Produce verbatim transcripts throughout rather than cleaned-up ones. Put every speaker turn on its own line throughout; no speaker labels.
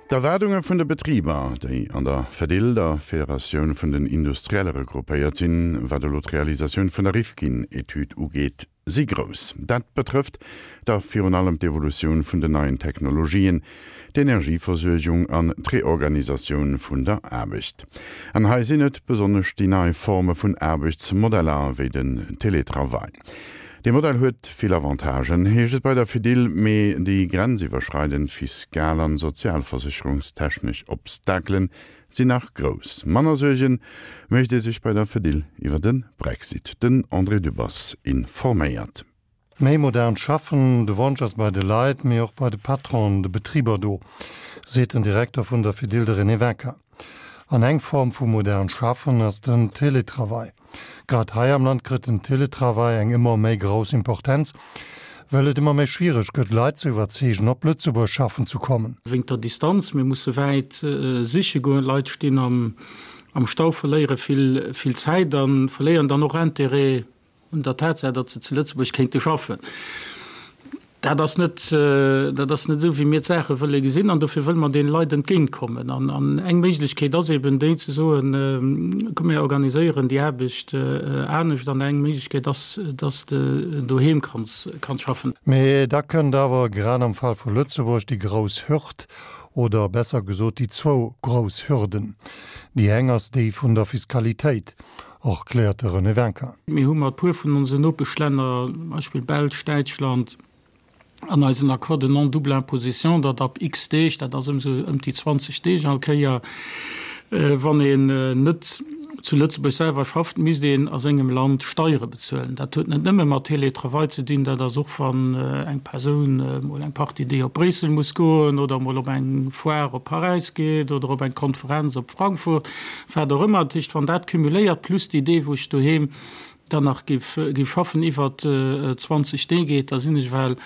D'Erwaardunge vun de Betriber, déi an der Fedil, der Federatioun vun den Industrielle regroupéiert sinn, wat elo d'Realisatioun vun der Rifkin-Etüd ugeet, si grouss. Dat betrëfft da virun allem d'Evolutioun vun den neien Technologien, d'Energieversuergung an d'Reorganisatioun vun der Aarbecht. An hei sinn et besonnesch déi nei Forme vun Aarbechtsmodeller, wéi den Teletravail. Dee Modell huet vill Avantagen, heescht et bei der Fedil, mee déi grenziwwerschreidend fiskal an sozialversécherungstechnesch Obstakelen sinn nach grouss. Manner Suerge mécht ee sech bei der Fedil iwwer de Brexit. Den André Dübbers informéiert.
Méi modern schaffen, de Wonsch ass bei de Leit, mee och bei de Patronen, de Betriber do, seet den Direkter vun der Fedil, de René Wincker. An eng Form vu modern schaffen ass den Teletravail. Grad hei am Land kritt den Teletravail eng ëmmer méi grouss Importenz, well et ëmmer méi schwiereg gëtt, Leit ze iwwerzeegen, op Lëtzebuerg schaffen ze kommen.
Wéinst der Distanz, mir musse wäit siche goen, d'Leit stinn am Stau, verléiere vill Zäit a verléieren dann och Interêt un der Tatsaach, datt se zu Lëtzebuerg kéinte schaffen. Dat ass net, dat ass net esou, wéi mir d'Saache wëlle gesinn, an dofir wëlle mer deene Leit entgéintkommen. An, an eng Méiglechkeet ass eben déi ze soen, komm mir organiséieren déi Aarbecht anescht, an eng Méiglechkeet ass, datt s de doheem kanns, kanns schaffen.
Mee da kënnt awer grad am Fall vu Lëtzebuerg déi grouss Hürd, oder besser gesot déi zwou grouss Hürden. Déi eng ass déi vun der Fiskalitéit, erkläert de René Wincker.
Mir hu mat e puer vun onsen Nopeschlänner, zum Beispill Belsch, Däitschland, an eisen Accord de non-double imposition, datt ab x Deeg, dat ass ëm esou ëm déi zwanzeg Deeg all Kéier, wann een net zu Lëtzebuerg selwer schafft, misst een a sengem Land Steiere bezuelen. Dat huet net nëmme mat Télétravail ze dinn, dat ass och, wann eng Persoun emol eng Partie Deeg op Bréissel muss goen oder emol op eng Foire op Paräis geet oder op eng Konferenz op Frankfurt, wat och ëmmer. Dat heescht, wann dat cumuléiert plus déi Deeg, wou ech doheem dann nach géif schaffen, iwwer zwanzeg Deeg geet, da sinn ech ewell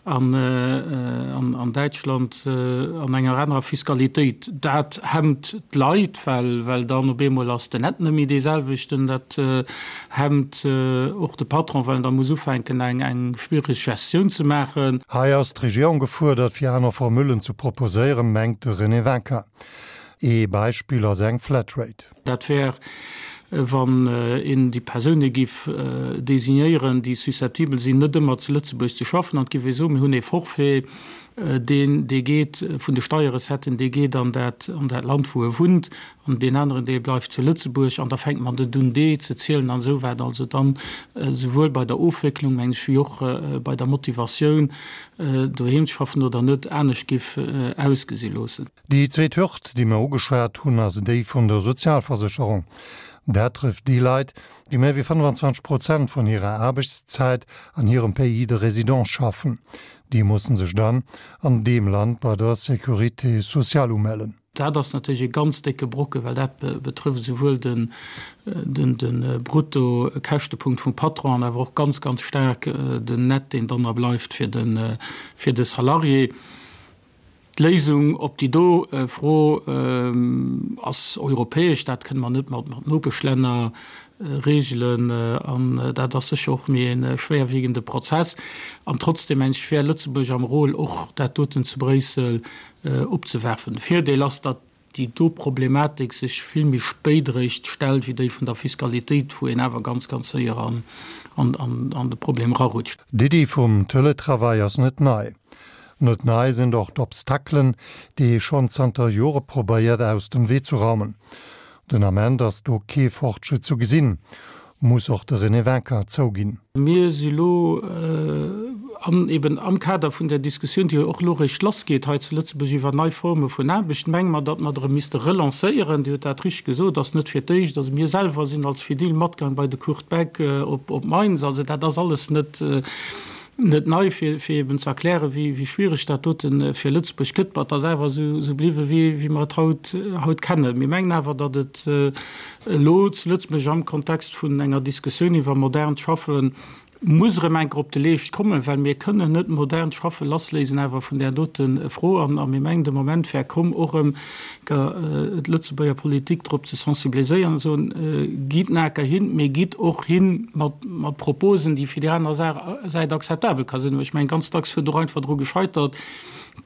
an Däitschland an enger anerer Fiskalitéit. Dat hemmt d'Leit, well dann op eemol ass den Net net méi dee selwechten. Dat hemmt och de Patron, well en da muss ufänken, eng schwiereg Gestioun ze maachen.
Hei ass d'Regierung gefuerdert, fir aner Formullen ze proposéieren, mengt de René Wincker. Ee Beispill ass eng Flatrate.
Dat wär, wann een déi Persoune giff designéieren, déi susceptibel sinn, net ëmmer zu Lëtzebuerg ze schaffen, an et giff ee soen, mir hunn ee Forfait, deen, dee geet vun de Steierrecetten, dee geet an dat, an dat Land, wou e wunnt, an deen aneren, dee bleift zu Lëtzebuerg, an da fänkt man net un, dee ze zielen an esou wat. Also dann esouwuel bei der Ofwécklung, meng ech, wéi och bei der Motivatioun, doheem ze schaffen oder net, anescht giff ausgesi loossen.
Déi zweet Hürd, déi mer ugeschwat hunn, ass déi vun der Sozialversécherung. Dat trëfft déi Leit, déi méi wéi fënnwanzwanzeg Prozent vun hirer Aarbechtszäit an hirem Pays de résidence schaffen. Déi mussen sech dann an deem Land bei der Sécurité sociale umellen.
Dat ass natierlech e ganz décke Brocke, well dat betrëfft esouwuel de Bruttokäschtepunkt vum Patron an awer och ganz, ganz staark den Net, deen dann nach bleift fir de Salarié. D'Léisung op déi do Fro ass europäesch. Dat kënne mer net mat Nopeschlänner regelen an dat ass sécher och méi e schwéierwiegende Prozess. An trotzdem, mengen ech, wär Lëtzebuerg am Rôle, och dat doten zu Bréissel opzewerfen. De Virdeel ass, datt déi do Problematik sech vill méi spéit eréischt stellt wéi déi vun der Fiskalitéit, wou een awer ganz, ganz séier an de Problem erarutscht.
D'Iddi vum Teletravail ass net nei. Net nei sinn och d'Obstakelen, déi ee schonn zanter Jore probéiert aus dem Wee ze raumen. Den Ament ass do kee Fortschritt zu gesinn, muss och de René Wincker zouginn.
Mir si lo an eben am Kader vun där Diskussioun, déi jo och elo eréischt lassgeet hei zu Lëtzebuerg iwwer nei Forme vun Aarbecht, menge mer, datt mer erëm misste relancéieren. Dir hutt dat richteg gesot, ass net fir d'éischt. Also mir selwer sinn als Fedil matgaang bei de Kurt Beck op Mainz. Also dat ass alles net net nei, fir fir eben ze erklären, wéi wéi schwiereg dat dote fir Lëtzebuerg gëtt. Ma et ass awer esou esou bliwwen, wéi wéi mer et haut haut kennen. Mir mengen awer, datt et elo zu Lëtzebuerg am Kontext vun enger Diskussioun iwwer modernt Schaffen muss erëm eng Kéier op de Leescht kommen, well mir kënnen net modernt Schaffe lassléisen awer vun där dote Fro. An a mir mengen, de Moment wär komm, och erëm d'Lëtzebuerger Politik drop ze sensibiliséieren an ze soen, Gitt naker hin, mee gitt och hin mat mat Proposen, déi fir déi aner Säit akzeptabel ka sinn. Ech mengen, ganz dacks huet och einfach dru gescheitert,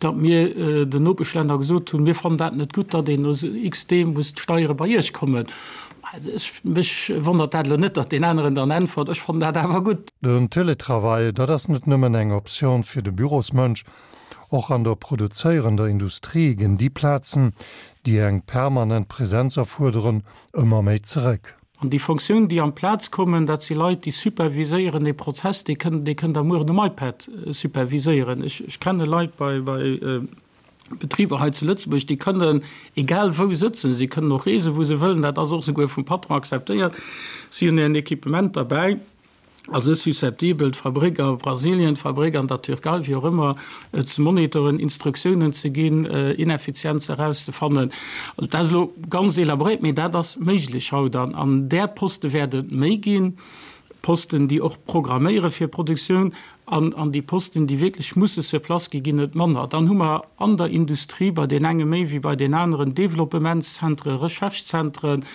datt mir den Nopeschlänner gesot hunn, mir fannen dat net gutt, datt een no x Deem muss d'Steiere bei Iech kommen. Mech wonnert dat elo net, datt deen aneren dann äntwert, ech fannen dat awer gutt.
Den Teletravail, dat ass net nëmmen eng Optioun fir de Bürosmënsch. Och an der produzéierender Industrie ginn déi Plazen, déi eng permanent Presenz erfuerderen, ëmmer méi zeréck.
An déi Fonctiounen, déi amplaz kommen, dat si Leit, déi superviséieren ee Prozess, dee kënnt, dee kënnt Der mueren um iPad superviséieren. Ech, ech kenne Leit bei, bei Betriber hei zu Lëtzebuerg, déi kënnen egal wou sëtzen, si kënnen och reesen, wou se wëllen, dat ass och souguer vum Patron akzeptéiert, si hunn hiren Equipement derbäi. Ass net susceptibel, d'Fabrik a Brasilien, d'Fabrik an der Türkei, wéi och ëmmer, ze monitoren, Instruktiounen ze ginn, Ineffizienze erauszefannen. Also dat ass elo ganz elaboréiert, mee dat ass méiglech haut. An an där Poste wäert et méi ginn, Posten, déi och programméiere fir Produktioun, an an déi Posten, déi wierklech musse sur place gi, ginn et manner. Dann hu mer an der Industrie bei deen enge méi wéi bei deen aneren Développementszentre, Recherchezentren.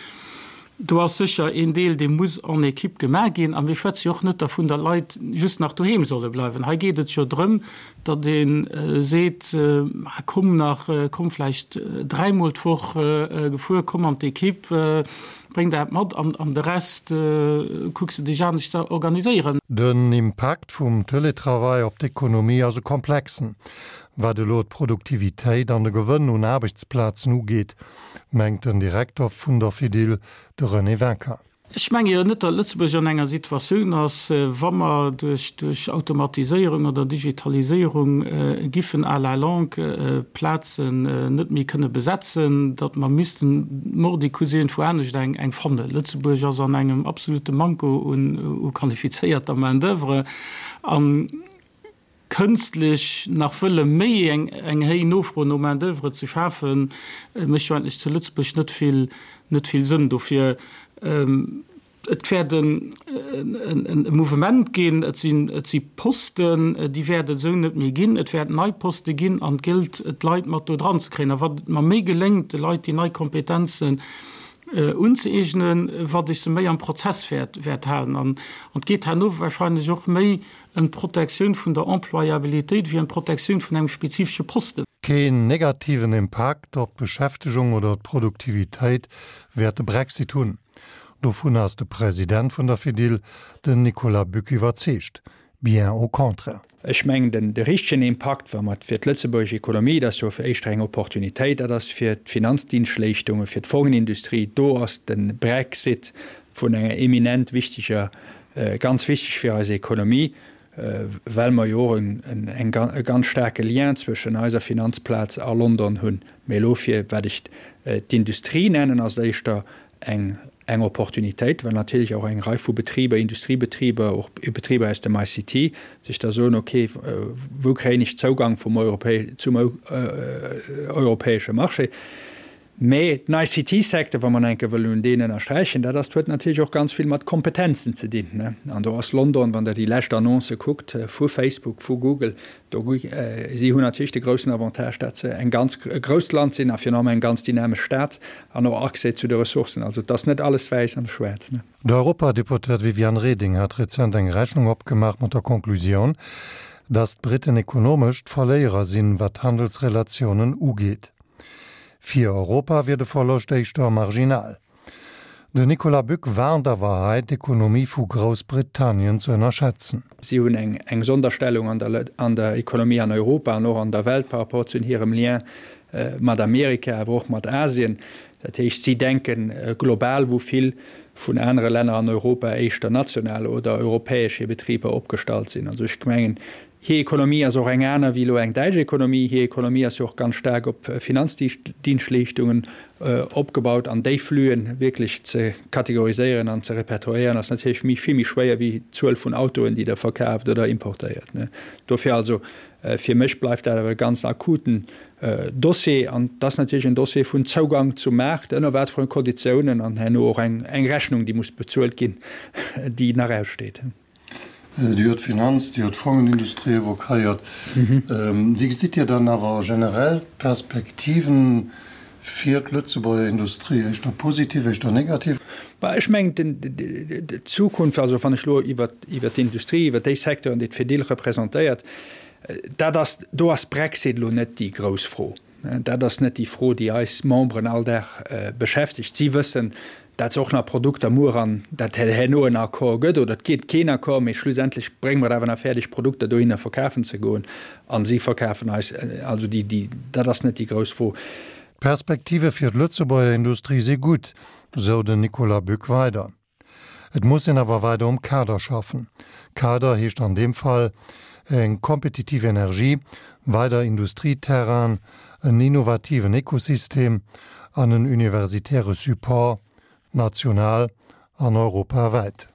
Do ass sécher een Deel, dee muss en équipe gemaach ginn. A mir schwätze jo och net dervun, datt Leit just nach doheem solle bleiwen. Hei geet et jo drëm, datt ee seet, Komm nach, komm vläicht dräimol d'Woch gefuer, komm an d'Équipe, bréng dat mat an de Rest kucks de dech anescht ze organiséieren.
Den Impakt vum Teletravail op d'Ekonomie ass e komplexen, wat elo d'Produktivitéit an de Gewënn un Aarbechtsplazen ugeet, mengt den Direkter vun der Fedil, de René Wincker.
Ech menge jo net, datt Lëtzebuerg an enger Situatioun ass, wa mer duerch duerch Automatiséierung oder Digitaliséierung giffen à la longue Plazen net méi kënne besetzen, datt mer missten mordicus iergendwou anescht eng eng fannen. Lëtzebuerg ass an engem absolute Manko un u qualifizéierter Main d'oeuvre an kënstlech nach wëlle méi eng eng héij Nofro no Main d'oeuvre ze schafen, mécht jo eigentlech zu Lëtzebuerg net vill net vill Sënn. Dofir, et wäert en e Mouvement ginn, et sinn et si Posten, déi wäert et esou net méi ginn, et wäert nei Poste ginn an et gëllt d'Leit mat do dran ze kréien. A wat et mer méi geléngt, de Leit déi nei Kompetenzen unzëeegnen, wat ech se méi am Prozess wäert wäert halen. An et geet herno wahrscheinlech och méi ëm d'Protektioun vun der Employabilitéit wéi ëm d'Protektioun vun engem spezifesche Posten.
Keen negativen Impakt op d'Beschäftegung oder d'Produktivitéit wäert de Brexit hunn. Dovun ass de President vun der Fedil, den Nicolas Buck iwwerzeegt. Bien au contraire.
Ech mengen, den de richtegen Impakt, wa mer fir d'lëtzebuergesch Ekonomie, dat ass jo fir éischter eng Opportunitéit, dat ass fir d'Finanzdienstleeschtungen, fir d'Fongenindustrie, do ass de Brexit vun enger eminent wichteger, ganz wichteg fir eis Ekonomie, well mer jo och en en e ganz staarke Lien zwëschen eiser Finanzplaz a London hunn. Mee elo fir wat ech d'Industrie nennen, ass et éischter eng eng Opportunitéit, well natierlech och eng Rei vu Betriber, Industriebetriber, och Betriber aus dem I C T sech da soen, okay, wou kréien ech Zougang vum Europä zum europäesche Marché? Mä den I C T-Secteur, wa mer enke wëllen un deen ënnersträichen, dat ass, huet natierlech och ganz vill mat Kompetenzen ze dinn. An do ass London, wann Der déi lescht Annoncë kuckt vu Facebook, vu Google, do, si hunn natierlech de groussen Avantage, dat se eng ganz, e grousst Land sinn a virun allem eng ganz dynamesch Stad an och Accès zu de Ressourcen. Also et ass net alles wäiss an schwaarz.
D'Europadeputéiert Viviane Reding hat rezent eng Rechnung opgemaach mat der Konklusioun, datt d'Briten ekonomesch d'Verléierer sinn, wat d'Handelsrelatiounen ugeet. Fir Europa wier de Verloscht éischter marginal. Den Nicolas Buck warnt awer hei, d'Ekonomie vu Groussbritannien ze ënnerschätzen.
Si hunn eng eng Sonderstellung an der an der Ekonomie an Europa an och an der Welt par rapport zu hirem Lien mat Amerika, awer och mat Asien. Dat heescht, si denke global, wou vill vun anere Länner an Europa éischter national oder europäesch hir Betriber opgestallt sinn. Also ech mengen, Hir Ekonomie ass och eng aner wéi elo eng däitsch Ekonomie. Hir Ekonomie ass jo och ganz staark op Finanzdienstleeschtungen opgebaut an déi Flüen wierklech ze kategoriséieren an ze repertoriéieren ass natierlech méi vill méi schwéier wéi d'Zuel vun Autoen, déi Der verkaaft oder importéiert. Dofir also, fir mech bleift dat awer e ganz akuten Dossier an et ass natierlech en Dossier vun Zougang zum Maart, ënner wat fir Konditiounen an herno och eng Rechnung, déi muss bezuelt ginn, déi nach aussteet.
Dir hutt d'Finanz-, Dir hutt d'Fongenindustrie evoquéiert. Wéi gesitt Dir dann awer generell d'Perspektiven fir d'Lëtzebuerger Industrie? Éischter positiv, éischter negativ?
Bah, ech mengen, d'Zukunft, also wann ech elo iwwert d'Industrie, iwwert déi Secteuren, déi d'Fedil representéiert, Dat ass, do ass Brexit elo net déi grouss Fro. Dat ass net déi Fro, déi eis Memberen all Dag beschäftegt. Si wëssen, dat se och nach Produkter muer an dat herno en Accord gëtt oder et gétt keen Accord, mee schlussendlech brénge mer et awer nach fäerdeg, Produkter dohinner verkafen ze goen a si verkafen eis. Also déi, déi, dat ass net déi grouss Fro.
D'Perspektive fir d'Lëtzebuerger Industrie si gutt, sou den Nicolas Buck weider. Et muss een awer weider um Kader schaffen. Kader heescht an deem Fall, eng kompetitiv Energie, weider Industrieterrainen, en innovativen Ekosystem an en universitäre Support, national an europawäit.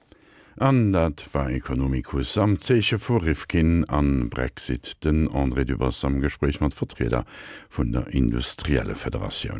An dat war Economicus am Zeeche vu Rifkin an Brexit, den André Dübbers am Gespréich mat Vertrieder vun der Industriellefederatioun.